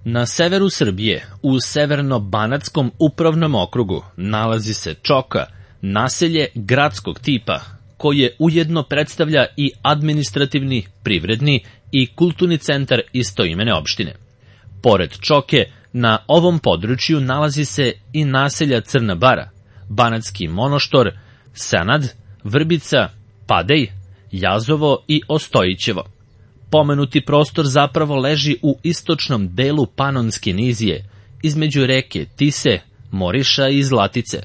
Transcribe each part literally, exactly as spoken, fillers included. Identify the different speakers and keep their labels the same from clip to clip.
Speaker 1: Na severu Srbije, u Severno-Banatskom upravnom okrugu, nalazi se Čoka, naselje gradskog tipa, koje ujedno predstavlja i administrativni, privredni i kulturni centar istoimene opštine. Pored Čoke, na ovom području nalazi se i naselja Crna Bara, Banatski Monoštor, Senad, Vrbica, Padej, Jazovo i Ostojićevo. Pomenuti prostor zapravo leži u istočnom delu Panonske nizije, između reke Tise, Moriša i Zlatice,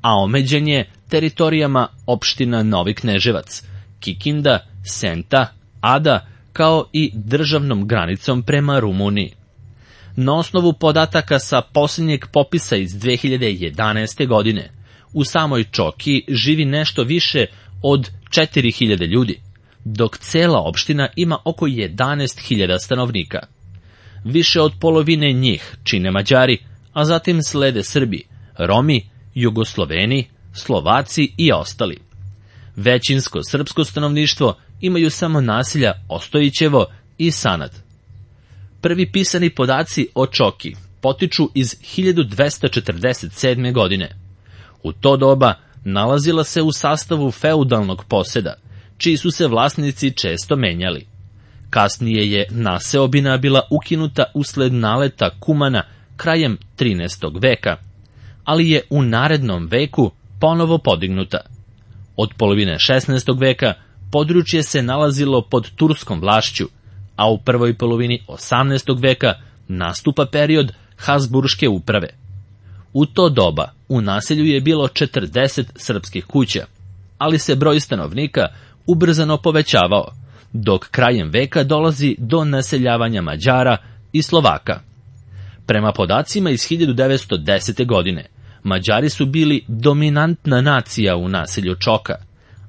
Speaker 1: a omeđen je teritorijama opština Novi Kneževac, Kikinda, Senta, Ada, kao i državnom granicom prema Rumuniji. Na osnovu podataka sa posljednjeg popisa iz dve hiljade jedanaeste. godine, u samoj Čoki živi nešto više od četiri hiljade ljudi, dok cela opština ima oko jedanaest hiljada stanovnika. Više od polovine njih čine Mađari, a zatim slede Srbi, Romi, Jugosloveni, Slovaci i ostali. Većinsko srpsko stanovništvo imaju samo naselja Ostojićevo i Sanad. Prvi pisani podaci o Čoki potiču iz hiljadu dvesta četrdeset sedme. godine. U to doba nalazila se u sastavu feudalnog poseda, čiji su se vlasnici često menjali. Kasnije je naseobina bila ukinuta usled naleta Kumana krajem trinaestog. veka, ali je u narednom veku ponovo podignuta. Od polovine šesnaestog. veka područje se nalazilo pod turskom vlašću, a u prvoj polovini osamnaestog. veka nastupa period Habsburške uprave. U to doba u naselju je bilo četrdeset srpskih kuća, ali se broj stanovnika ubrzano povećavao, dok krajem veka dolazi do naseljavanja Mađara i Slovaka. Prema podacima iz hiljadu devetsto desete. godine, Mađari su bili dominantna nacija u naselju Čoka,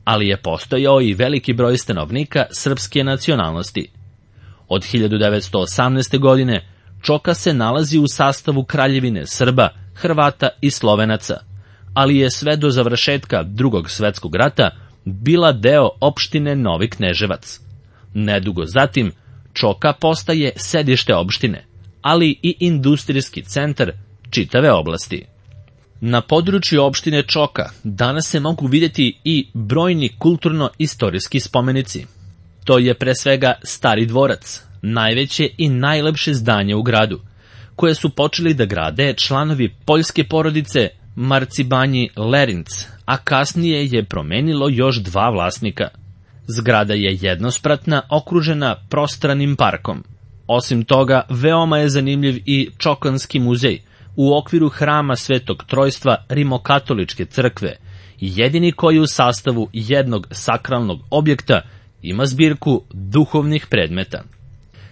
Speaker 1: ali je postojao i veliki broj stanovnika srpske nacionalnosti. Od hiljadu devetsto osamnaeste. godine Čoka se nalazi u sastavu Kraljevine Srba, Hrvata i Slovenaca, ali je sve do završetka Drugog svetskog rata bila deo opštine Novi Kneževac. Nedugo zatim Čoka postaje sedište opštine, ali i industrijski centar čitave oblasti. Na području opštine Čoka danas se mogu vidjeti i brojni kulturno-istorijski spomenici. To je pre svega Stari dvorac, najveće i najlepše zdanje u gradu, koje su počeli da grade članovi poljske porodice Marcibanji Lerinc, a kasnije je promenilo još dva vlasnika. Zgrada je jednospratna, okružena prostranim parkom. Osim toga, veoma je zanimljiv i Čokanski muzej u okviru hrama Svetog Trojstva Rimokatoličke crkve, jedini koji u sastavu jednog sakralnog objekta ima zbirku duhovnih predmeta.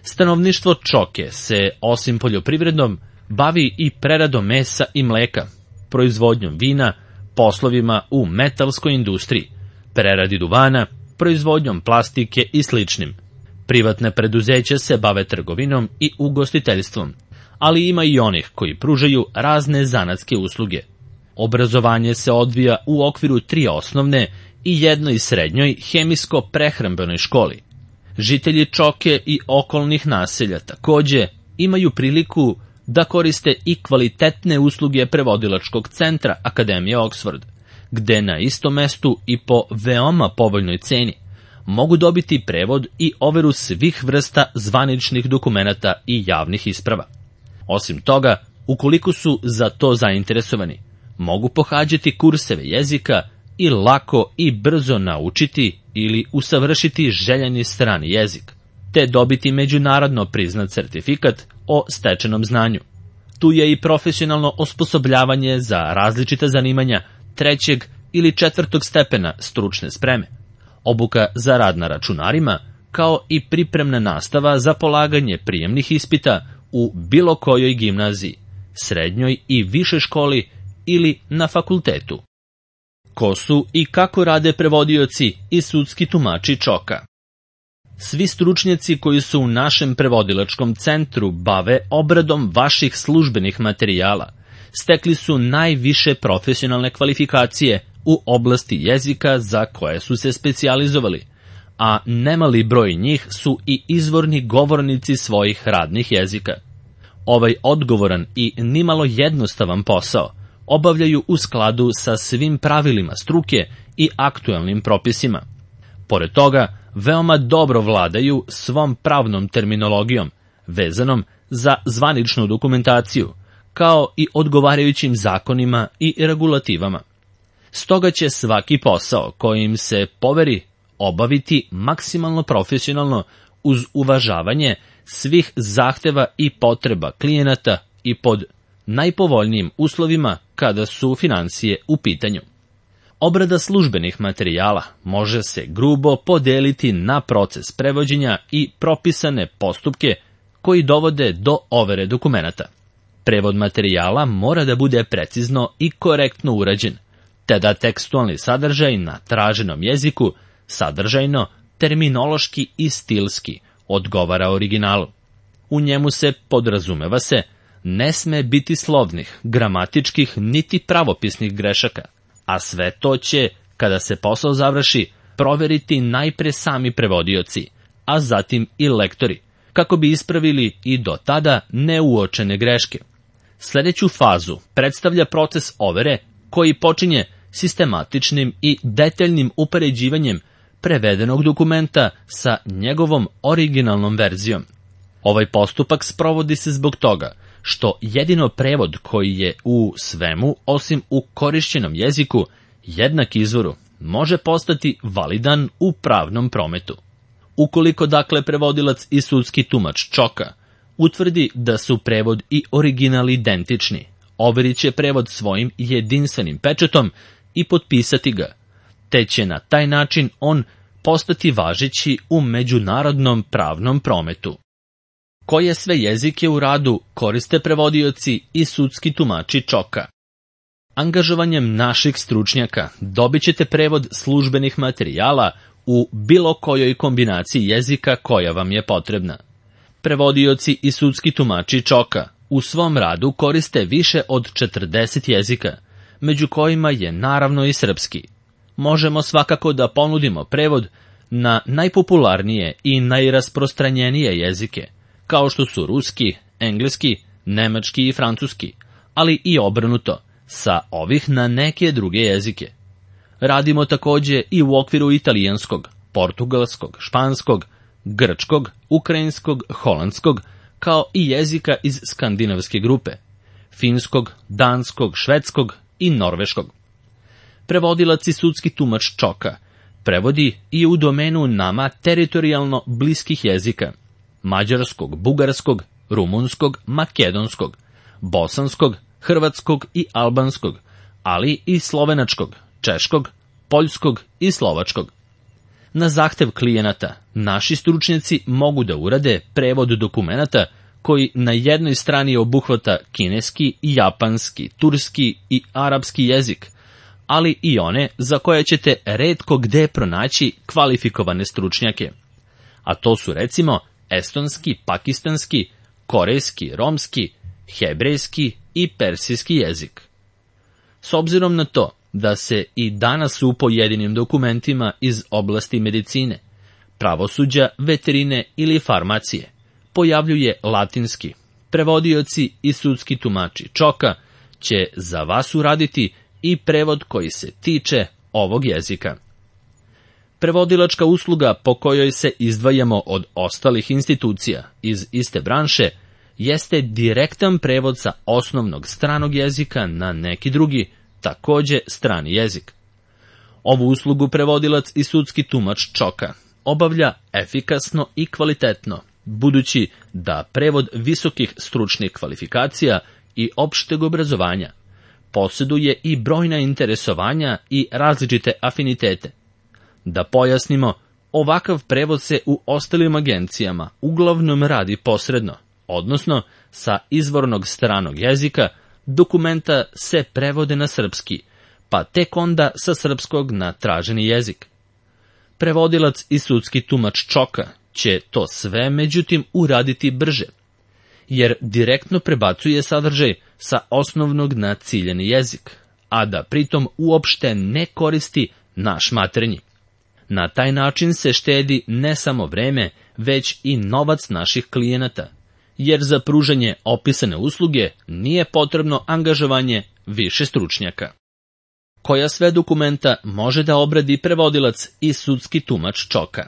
Speaker 1: Stanovništvo Čoke se, osim poljoprivredom, bavi i preradom mesa i mleka, proizvodnjom vina, poslovima u metalskoj industriji, preradi duvana, proizvodnjom plastike i sličnim. Privatne preduzeća se bave trgovinom i ugostiteljstvom, ali ima i onih koji pružaju razne zanatske usluge. Obrazovanje se odvija u okviru tri osnovne i jednoj srednjoj hemijsko-prehrambenoj školi. Žitelji Čoke i okolnih naselja takođe imaju priliku da koriste i kvalitetne usluge prevodilačkog centra Akademije Oxford, gde na istom mestu i po veoma povoljnoj ceni mogu dobiti prevod i overu svih vrsta zvaničnih dokumenata i javnih isprava. Osim toga, ukoliko su za to zainteresovani, mogu pohađati kurseve jezika i lako i brzo naučiti ili usavršiti željeni strani jezik, te dobiti međunarodno priznat sertifikat o stečenom znanju. Tu je i profesionalno osposobljavanje za različita zanimanja trećeg ili četvrtog stepena stručne spreme, obuka za rad na računarima, kao i pripremna nastava za polaganje prijemnih ispita u bilo kojoj gimnaziji, srednjoj i višoj školi ili na fakultetu. Ko su i kako rade prevodioci i sudski tumači Čoka? Svi stručnjaci koji su u našem prevodilačkom centru bave obradom vaših službenih materijala, stekli su najviše profesionalne kvalifikacije u oblasti jezika za koje su se specijalizovali, a nemali broj njih su i izvorni govornici svojih radnih jezika. Ovaj odgovoran i nimalo jednostavan posao obavljaju u skladu sa svim pravilima struke i aktuelnim propisima. Pored toga, veoma dobro vladaju svom pravnom terminologijom, vezanom za zvaničnu dokumentaciju, kao i odgovarajućim zakonima i regulativama. Stoga će svaki posao kojim se poveri obaviti maksimalno profesionalno uz uvažavanje svih zahteva i potreba klijenata i pod najpovoljnijim uslovima kada su financije u pitanju. Obrada službenih materijala može se grubo podeliti na proces prevođenja i propisane postupke koji dovode do overe dokumenata. Prevod materijala mora da bude precizno i korektno urađen, te da tekstualni sadržaj na traženom jeziku sadržajno, terminološki i stilski odgovara originalu. U njemu se, podrazumeva se, ne sme biti slovnih, gramatičkih niti pravopisnih grešaka, a sve to će, kada se posao završi, proveriti najpre sami prevodioci, a zatim i lektori, kako bi ispravili i do tada neuočene greške. Sljedeću fazu predstavlja proces overe koji počinje sistematičnim i detaljnim upoređivanjem prevedenog dokumenta sa njegovom originalnom verzijom. Ovaj postupak sprovodi se zbog toga što jedino prevod koji je u svemu, osim u korišćenom jeziku, jednak izvoru, može postati validan u pravnom prometu. Ukoliko dakle prevodilac i sudski tumač Čoka utvrdi da su prevod i original identični, overit će prevod svojim jedinstvenim pečatom i potpisati ga, te će na taj način on postati važeći u međunarodnom pravnom prometu. Koje sve jezike u radu koriste prevodioci i sudski tumači Čoka? Angažovanjem naših stručnjaka dobit ćete prevod službenih materijala u bilo kojoj kombinaciji jezika koja vam je potrebna. Prevodioci i sudski tumači Čoka u svom radu koriste više od četrdeset jezika, među kojima je naravno i srpski. Možemo svakako da ponudimo prevod na najpopularnije i najrasprostranjenije jezike, kao što su ruski, engleski, nemački i francuski, ali i obrnuto, sa ovih na neke druge jezike. Radimo takođe i u okviru italijanskog, portugalskog, španskog, grčkog, ukrajinskog, holandskog, kao i jezika iz skandinavske grupe, finskog, danskog, švedskog i norveškog. Prevodilac i sudski tumač Čoka prevodi i u domenu nama teritorijalno bliskih jezika, mađarskog, bugarskog, rumunskog, makedonskog, bosanskog, hrvatskog i albanskog, ali i slovenačkog, češkog, poljskog i slovačkog. Na zahtev klijenata, naši stručnjaci mogu da urade prevod dokumenata koji na jednoj strani obuhvata kineski, japanski, turski i arapski jezik, ali i one za koje ćete retko gde pronaći kvalifikovane stručnjake. A to su recimo estonski, pakistanski, korejski, romski, hebrejski i persijski jezik. S obzirom na to da se i danas u pojedinim dokumentima iz oblasti medicine, pravosuđa, veterine ili farmacije pojavljuje latinski, prevodioci i sudski tumači Čoka će za vas uraditi i prevod koji se tiče ovog jezika. Prevodilačka usluga po kojoj se izdvajamo od ostalih institucija iz iste branše jeste direktan prevod sa osnovnog stranog jezika na neki drugi, takođe strani jezik. Ovu uslugu prevodilac i sudski tumač Čoka obavlja efikasno i kvalitetno, budući da prevod visokih stručnih kvalifikacija i opšteg obrazovanja posjeduje i brojna interesovanja i različite afinitete. Da pojasnimo, ovakav prevod se u ostalim agencijama uglavnom radi posredno, odnosno sa izvornog stranog jezika dokumenta se prevode na srpski, pa tek onda sa srpskog na traženi jezik. Prevodilac i sudski tumač Čoka će to sve međutim uraditi brže, jer direktno prebacuje sadržaj sa osnovnog na ciljani jezik, a da pritom uopšte ne koristi naš maternji. Na taj način se štedi ne samo vreme, već i novac naših klijenata, jer za pružanje opisane usluge nije potrebno angažovanje više stručnjaka. Koja sve dokumenta može da obradi prevodilac i sudski tumač Čoka?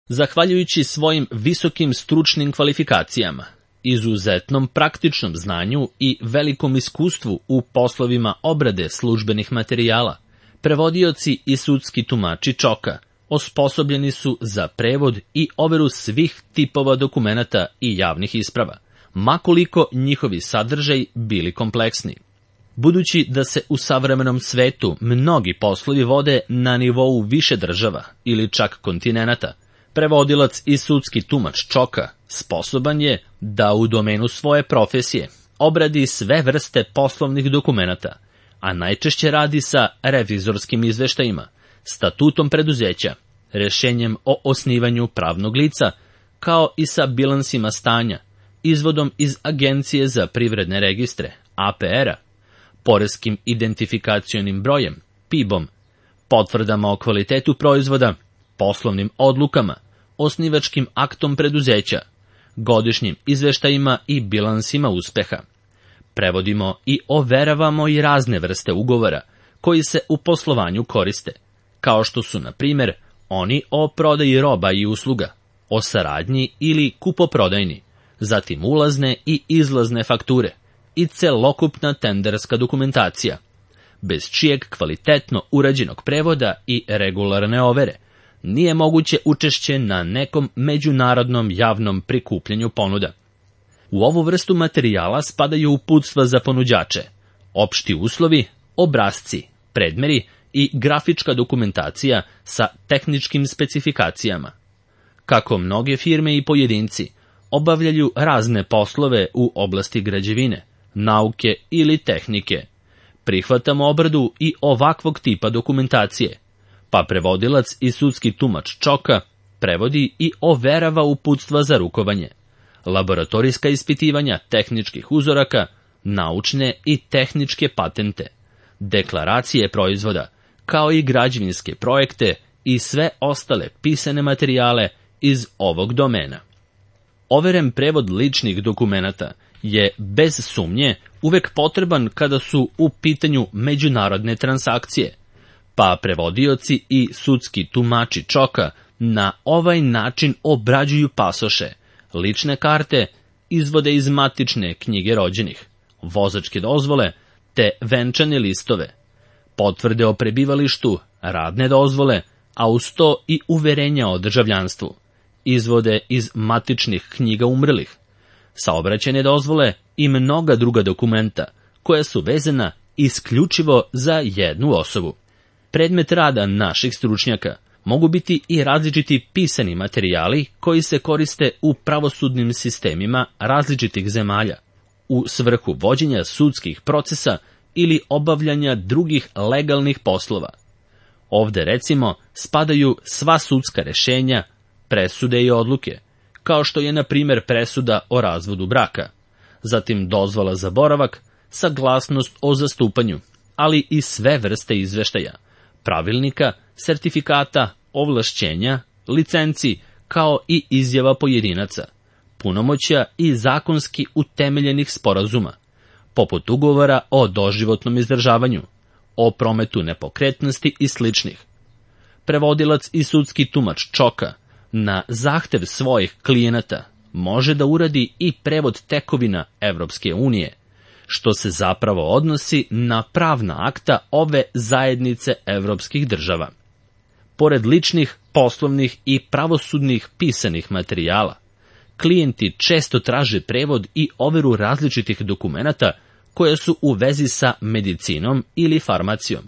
Speaker 1: Zahvaljujući svojim visokim stručnim kvalifikacijama, izuzetnom praktičnom znanju i velikom iskustvu u poslovima obrade službenih materijala, prevodioci i sudski tumači Čoka osposobljeni su za prevod i overu svih tipova dokumenata i javnih isprava, makoliko njihovi sadržaj bili kompleksni. Budući da se u savremenom svetu mnogi poslovi vode na nivou više država ili čak kontinenata, prevodilac i sudski tumač Čoka sposoban je da u domenu svoje profesije obradi sve vrste poslovnih dokumenata, a najčešće radi sa revizorskim izveštajima, statutom preduzeća, rešenjem o osnivanju pravnog lica, kao i sa bilansima stanja, izvodom iz Agencije za privredne registre, A P R-a, poreskim identifikacionim brojem, P I B-om, potvrdama o kvalitetu proizvoda, poslovnim odlukama, osnivačkim aktom preduzeća, godišnjim izveštajima i bilansima uspeha. Prevodimo i overavamo i razne vrste ugovora koji se u poslovanju koriste, kao što su, na primjer, oni o prodaji roba i usluga, o saradnji ili kupoprodajni, zatim ulazne i izlazne fakture i celokupna tenderska dokumentacija, bez čijeg kvalitetno urađenog prevoda i regularne overe nije moguće učešće na nekom međunarodnom javnom prikupljanju ponuda. U ovu vrstu materijala spadaju uputstva za ponuđače, opšti uslovi, obrasci, predmeri i grafička dokumentacija sa tehničkim specifikacijama. Kako mnoge firme i pojedinci obavljaju razne poslove u oblasti građevine, nauke ili tehnike, prihvatamo obradu i ovakvog tipa dokumentacije, pa prevodilac i sudski tumač Čoka prevodi i overava uputstva za rukovanje, laboratorijska ispitivanja tehničkih uzoraka, naučne i tehničke patente, deklaracije proizvoda, kao i građevinske projekte i sve ostale pisane materijale iz ovog domena. Overen prevod ličnih dokumenata je bez sumnje uvek potreban kada su u pitanju međunarodne transakcije, pa prevodioci i sudski tumači Čoka na ovaj način obrađuju pasoše, lične karte, izvode iz matične knjige rođenih, vozačke dozvole te venčane listove, potvrde o prebivalištu, radne dozvole, a uz to i uverenja o državljanstvu, izvode iz matičnih knjiga umrlih, saobraćajne dozvole i mnoga druga dokumenta koja su vezana isključivo za jednu osobu. Predmet rada naših stručnjaka mogu biti i različiti pisani materijali koji se koriste u pravosudnim sistemima različitih zemalja, u svrhu vođenja sudskih procesa ili obavljanja drugih legalnih poslova. Ovde, recimo, spadaju sva sudska rešenja, presude i odluke, kao što je, na primjer, presuda o razvodu braka, zatim dozvola za boravak, saglasnost o zastupanju, ali i sve vrste izveštaja, pravilnika, sertifikata, ovlašćenja, licenci, kao i izjava pojedinaca, punomoćja i zakonski utemeljenih sporazuma, poput ugovora o doživotnom izdržavanju, o prometu nepokretnosti i sličnih. Prevodilac i sudski tumač Čoka na zahtev svojih klijenata može da uradi i prevod tekovina Evropske unije, što se zapravo odnosi na pravna akta ove zajednice evropskih država. Pored ličnih, poslovnih i pravosudnih pisanih materijala, klijenti često traže prevod i overu različitih dokumenata koja su u vezi sa medicinom ili farmacijom,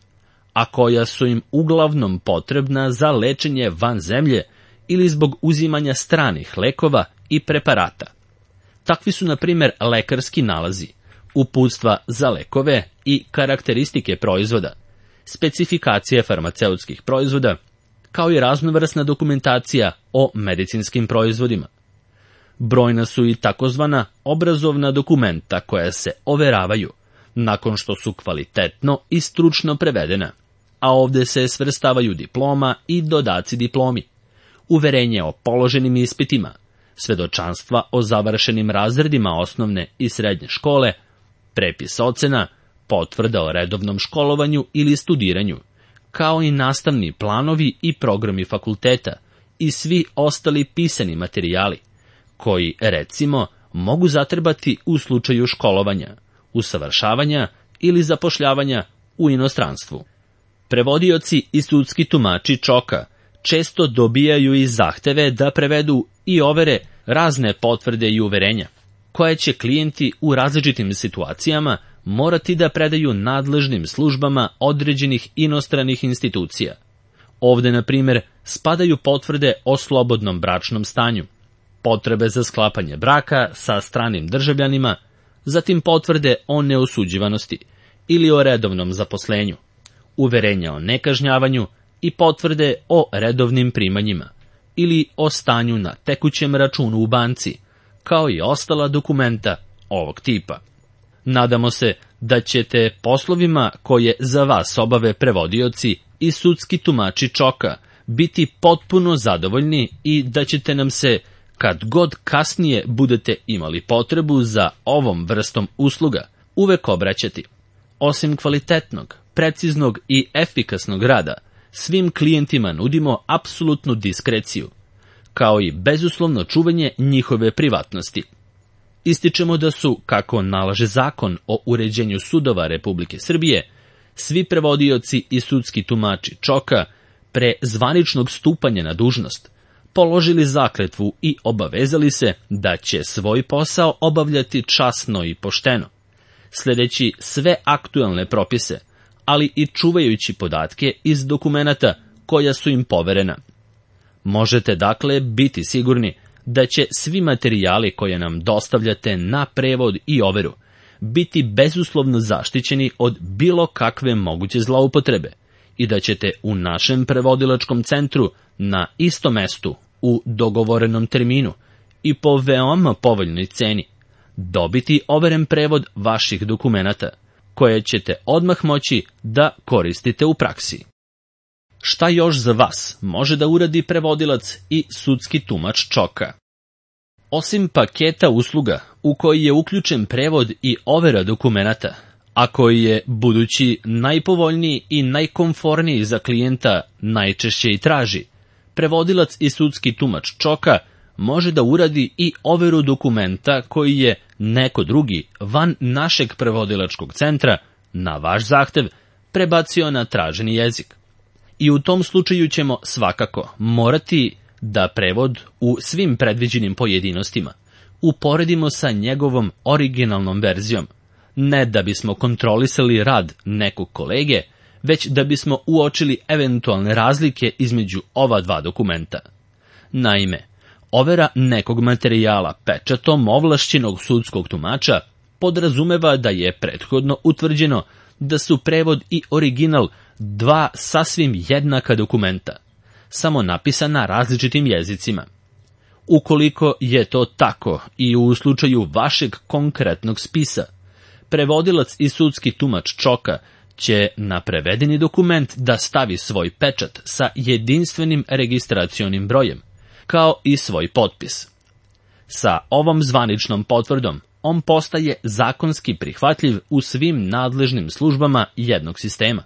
Speaker 1: a koja su im uglavnom potrebna za lečenje van zemlje ili zbog uzimanja stranih lekova i preparata. Takvi su, na primjer, lekarski nalazi, uputstva za lekove i karakteristike proizvoda, specifikacije farmaceutskih proizvoda, kao i raznovrsna dokumentacija o medicinskim proizvodima. Brojna su i takozvana obrazovna dokumenta koja se overavaju nakon što su kvalitetno i stručno prevedena, a ovde se svrstavaju diploma i dodaci diplomi, uverenje o položenim ispitima, svedočanstva o završenim razredima osnovne i srednje škole, prepis ocena, potvrda o redovnom školovanju ili studiranju, kao i nastavni planovi i programi fakulteta i svi ostali pisani materijali, koji, recimo, mogu zatrebati u slučaju školovanja, usavršavanja ili zapošljavanja u inostranstvu. Prevodioci i sudski tumači čoka često dobijaju i zahteve da prevedu i overe razne potvrde i uverenja, koje će klijenti u različitim situacijama morati da predaju nadležnim službama određenih inostranih institucija. Ovde, na primjer, spadaju potvrde o slobodnom bračnom stanju, potrebe za sklapanje braka sa stranim državljanima, zatim potvrde o neosuđivanosti ili o redovnom zaposlenju, uverenja o nekažnjavanju i potvrde o redovnim primanjima ili o stanju na tekućem računu u banci, kao i ostala dokumenta ovog tipa. Nadamo se da ćete poslovima koje za vas obave prevodioci i sudski tumači čoka biti potpuno zadovoljni i da ćete nam se, kad god kasnije budete imali potrebu za ovom vrstom usluga, uvek obraćati. Osim kvalitetnog, preciznog i efikasnog rada, svim klijentima nudimo apsolutnu diskreciju, kao i bezuslovno čuvanje njihove privatnosti. Ističemo da su, kako nalaže Zakon o uređenju sudova Republike Srbije, svi prevodioci i sudski tumači čoka pre zvaničnog stupanja na dužnost položili zakletvu i obavezali se da će svoj posao obavljati časno i pošteno, sledeći sve aktuelne propise, ali i čuvajući podatke iz dokumenata koja su im poverena. Možete dakle biti sigurni da će svi materijali koje nam dostavljate na prevod i overu biti bezuslovno zaštićeni od bilo kakve moguće zloupotrebe i da ćete u našem prevodilačkom centru na istom mestu u dogovorenom terminu i po veoma povoljnoj ceni dobiti overen prevod vaših dokumenata, koje ćete odmah moći da koristite u praksi. Šta još za vas može da uradi prevodilac i sudski tumač čoka? Osim paketa usluga u koji je uključen prevod i overa dokumenata, a koji je, budući najpovoljniji i najkomforniji za klijenta, najčešće i traži, prevodilac i sudski tumač čoka može da uradi i overu dokumenta koji je neko drugi van našeg prevodilačkog centra na vaš zahtev prebacio na traženi jezik. I u tom slučaju ćemo svakako morati da prevod u svim predviđenim pojedinostima uporedimo sa njegovom originalnom verzijom, ne da bismo kontrolisali rad nekog kolege, već da bismo uočili eventualne razlike između ova dva dokumenta. Naime, overa nekog materijala pečatom ovlašćenog sudskog tumača podrazumeva da je prethodno utvrđeno da su prevod i original dva sasvim jednaka dokumenta, samo napisana različitim jezicima. Ukoliko je to tako i u slučaju vašeg konkretnog spisa, prevodilac i sudski tumač čoka će na prevedeni dokument da stavi svoj pečat sa jedinstvenim registracionim brojem, kao i svoj potpis. Sa ovom zvaničnom potvrdom on postaje zakonski prihvatljiv u svim nadležnim službama jednog sistema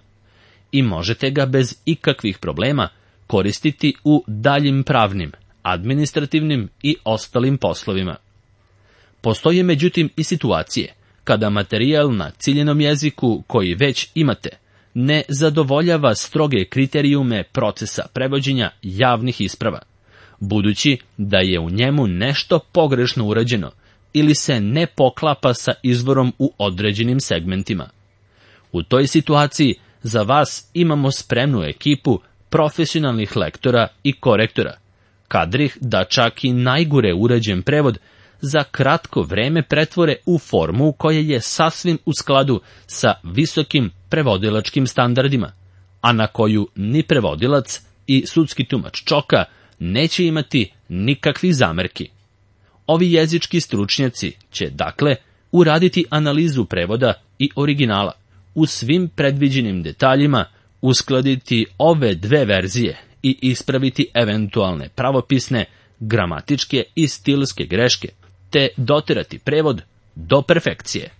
Speaker 1: i možete ga bez ikakvih problema koristiti u daljim pravnim, administrativnim i ostalim poslovima. Postoje međutim i situacije kada materijal na ciljenom jeziku koji već imate ne zadovoljava stroge kriterijume procesa prevođenja javnih isprava, budući da je u njemu nešto pogrešno urađeno ili se ne poklapa sa izvorom u određenim segmentima. U toj situaciji za vas imamo spremnu ekipu profesionalnih lektora i korektora, kadrih da čak i najgore urađen prevod za kratko vreme pretvore u formu koja je sasvim u skladu sa visokim prevodilačkim standardima, a na koju ni prevodilac i sudski tumač čoka neće imati nikakvih zamerki. Ovi jezički stručnjaci će, dakle, uraditi analizu prevoda i originala, u svim predviđenim detaljima uskladiti ove dve verzije i ispraviti eventualne pravopisne, gramatičke i stilske greške, te doterati prevod do perfekcije.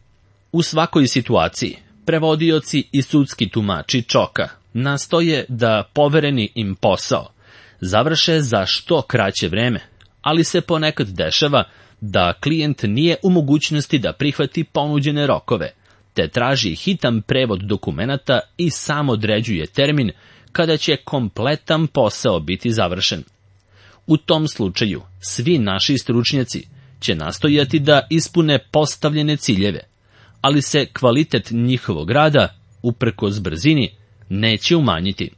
Speaker 1: U svakoj situaciji, prevodioci i sudski tumači čoka nastoje da povereni im posao završe za što kraće vreme, ali se ponekad dešava da klijent nije u mogućnosti da prihvati ponuđene rokove, te traži hitan prevod dokumenata i sam određuje termin kada će kompletan posao biti završen. U tom slučaju, svi naši stručnjaci će nastojati da ispune postavljene ciljeve, ali se kvalitet njihovog rada, uprkos brzini, neće umanjiti.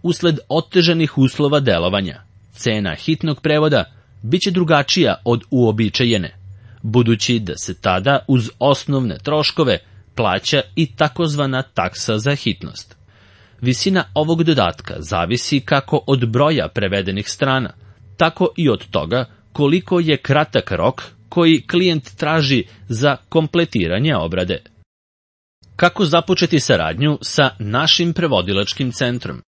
Speaker 1: Usled otežanih uslova delovanja, cena hitnog prevoda biće drugačija od uobičajene, budući da se tada uz osnovne troškove plaća i takozvana taksa za hitnost. Visina ovog dodatka zavisi kako od broja prevedenih strana, tako i od toga koliko je kratak rok koji klijent traži za kompletiranje obrade. Kako započeti saradnju sa našim prevodilačkim centrom?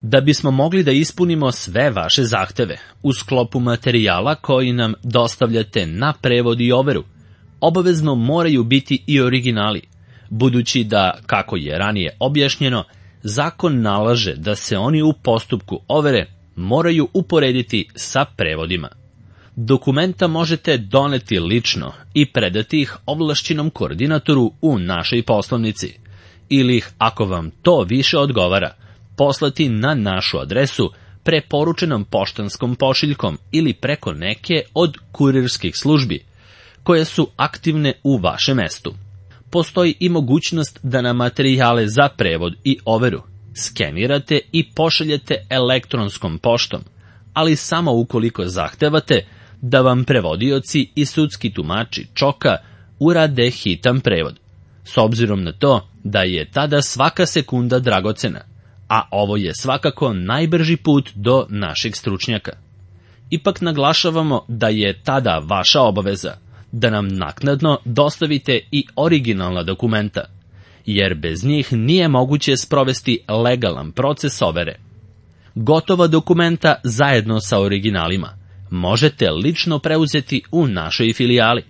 Speaker 1: Da bismo mogli da ispunimo sve vaše zahteve u sklopu materijala koji nam dostavljate na prevod i overu, obavezno moraju biti i originali, budući da, kako je ranije objašnjeno, zakon nalaže da se oni u postupku overe moraju uporediti sa prevodima. Dokumenta možete doneti lično i predati ih ovlašćenom koordinatoru u našoj poslovnici, ili ih, ako vam to više odgovara, poslati na našu adresu preporučenom poštanskom pošiljkom ili preko neke od kurirskih službi, koje su aktivne u vašem mestu. Postoji i mogućnost da na materijale za prevod i overu skenirate i pošaljete elektronskom poštom, ali samo ukoliko zahtevate da vam prevodioci i sudski tumači čoka urade hitan prevod, s obzirom na to da je tada svaka sekunda dragocena, a ovo je svakako najbrži put do naših stručnjaka. Ipak naglašavamo da je tada vaša obaveza da nam naknadno dostavite i originalna dokumenta, jer bez njih nije moguće sprovesti legalan proces overe. Gotova dokumenta zajedno sa originalima možete lično preuzeti u našoj filijali,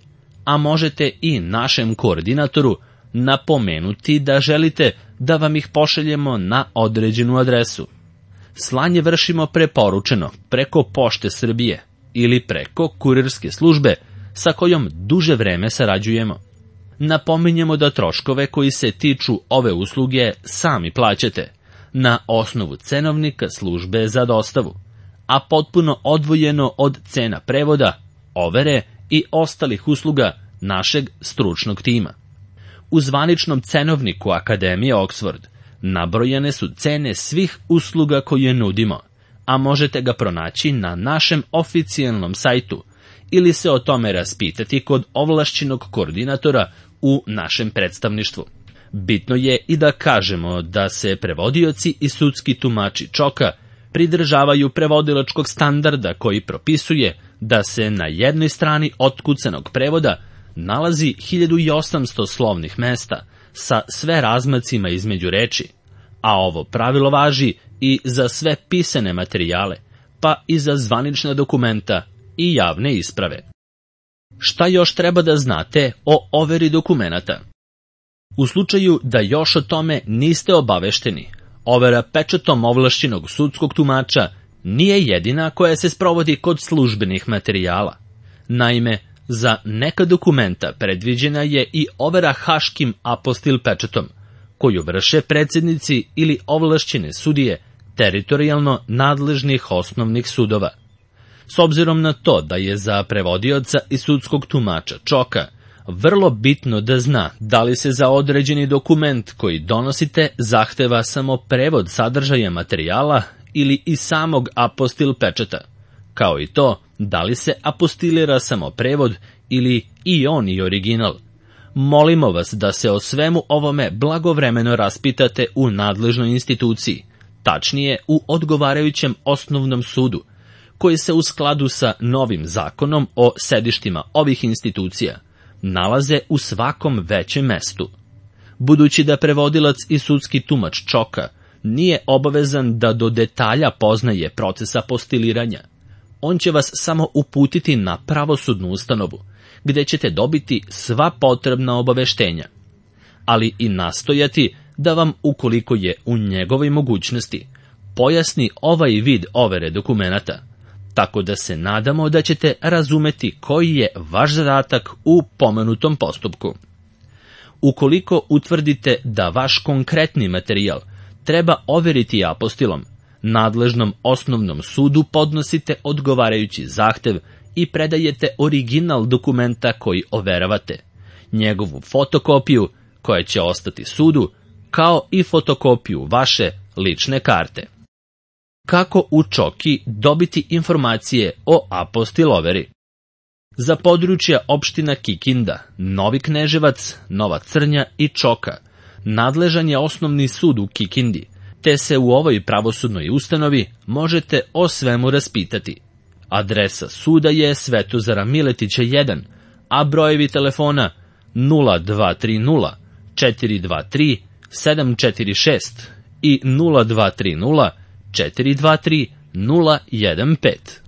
Speaker 1: a možete i našem koordinatoru napomenuti da želite da vam ih pošaljemo na određenu adresu. Slanje vršimo preporučeno preko Pošte Srbije ili preko kurirske službe sa kojom duže vreme sarađujemo. Napominjemo da troškove koji se tiču ove usluge sami plaćate na osnovu cenovnika službe za dostavu, a potpuno odvojeno od cena prevoda, overe i ostalih usluga našeg stručnog tima. U zvaničnom cenovniku Akademije Oxford nabrojane su cene svih usluga koje nudimo, a možete ga pronaći na našem oficijalnom sajtu ili se o tome raspitati kod ovlašćenog koordinatora u našem predstavništvu. Bitno je i da kažemo da se prevodioci i sudski tumači čoka pridržavaju prevodilačkog standarda koji propisuje da se na jednoj strani otkucanog prevoda nalazi hiljadu osamsto slovnih mesta sa sve razmacima između reči, a ovo pravilo važi i za sve pisane materijale, pa i za zvanična dokumenta i javne isprave. Šta još treba da znate o overi dokumenata? U slučaju da još o tome niste obavešteni, overa pečatom ovlašćenog sudskog tumača nije jedina koja se sprovodi kod službenih materijala. Naime, za neka dokumenta predviđena je i overa haškim apostil pečatom, koju vrše predsjednici ili ovlašćene sudije teritorijalno nadležnih osnovnih sudova. S obzirom na to da je za prevodioca i sudskog tumača čoka vrlo bitno da zna da li se za određeni dokument koji donosite zahteva samo prevod sadržaja materijala ili i samog apostil pečata, kao i to da li se apostilira samo prevod ili i on i original. Molimo vas da se o svemu ovome blagovremeno raspitate u nadležnoj instituciji, tačnije u odgovarajućem osnovnom sudu, koji se u skladu sa novim zakonom o sedištima ovih institucija nalaze u svakom većem mestu. Budući da prevodilac i sudski tumač čoka nije obavezan da do detalja poznaje proces apostiliranja, on će vas samo uputiti na pravosudnu ustanovu, gde ćete dobiti sva potrebna obaveštenja, ali i nastojati da vam, ukoliko je u njegovoj mogućnosti, pojasni ovaj vid overe dokumenata, tako da se nadamo da ćete razumeti koji je vaš zadatak u pomenutom postupku. Ukoliko utvrdite da vaš konkretni materijal treba overiti apostilom, nadležnom osnovnom sudu podnosite odgovarajući zahtev i predajete original dokumenta koji overavate, njegovu fotokopiju koja će ostati sudu, kao i fotokopiju vaše lične karte. Kako u Čoki dobiti informacije o apostiloveri? Za područja opština Kikinda, Novi Kneževac, Nova Crnja i Čoka nadležan je osnovni sud u Kikindi, te se u ovoj pravosudnoj ustanovi možete o svemu raspitati. Adresa suda je Svetozara Miletića jedan, a brojevi telefona nula dva tri nula četiri dva tri sedam četiri šest i nula dva tri nula četiri dva tri nula jedan pet.